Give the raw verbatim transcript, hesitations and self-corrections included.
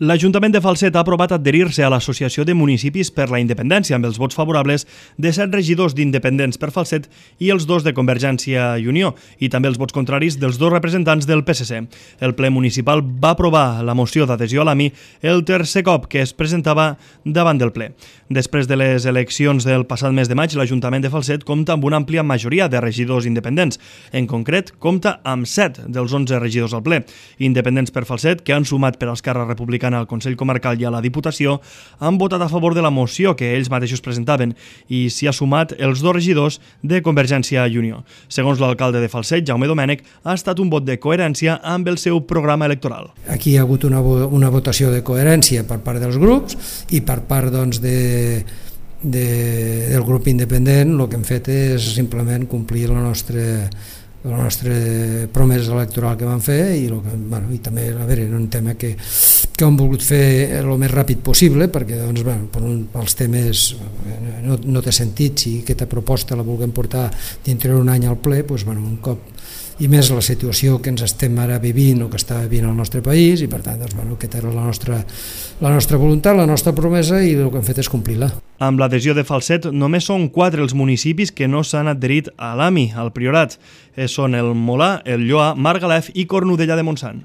L'Ajuntament de Falset ha aprovat adherir-se a l'Associació de Municipis per la Independència amb els vots favorables de set regidors d'Independents per Falset i els dos de Convergència i Unió, i també els vots contraris dels dos representants del P S C. El ple municipal va aprovar la moció d'adhesió a l'A M I el tercer cop que es presentava davant del ple. Després de les eleccions del passat mes de maig, l'Ajuntament de Falset compta amb una àmplia majoria de regidors independents. En concret, compta amb set dels onze regidors al ple. Independents per Falset, que han sumat per Esquerra Republicana al Consell Comarcal i a la Diputació, han votat a favor de la moció que ells mateixos presentaven i s'hi ha sumat els dos regidors de Convergència i Unió. Segons l'alcalde de Falset, Jaume Domènech, ha estat un vot de coherència amb el seu programa electoral. Aquí hi ha hagut una, una votació de coherència per part dels grups i per part doncs, de, de, del grup independent. El que hem fet és simplement complir la nostra la nostra promesa electoral que vam fer i, que, bueno, i també a veure, era un tema que, que hem volgut fer el més ràpid possible perquè doncs, bueno, per un, pels temes no, no té sentit si aquesta proposta la vulguem portar dintre d'un any al ple, doncs, bueno, un cop i més la situació que ens estem ara vivint o que està vivint el nostre país i per tant doncs, bueno, aquesta era la nostra, la nostra voluntat, la nostra promesa i el que hem fet és complir-la. Amb l'adhesió de Falset només són quatre els municipis que no s'han adherit a l'A M I, al Priorat. Són el Molà, el Lloar, Margalef i Cornudella de Montsant.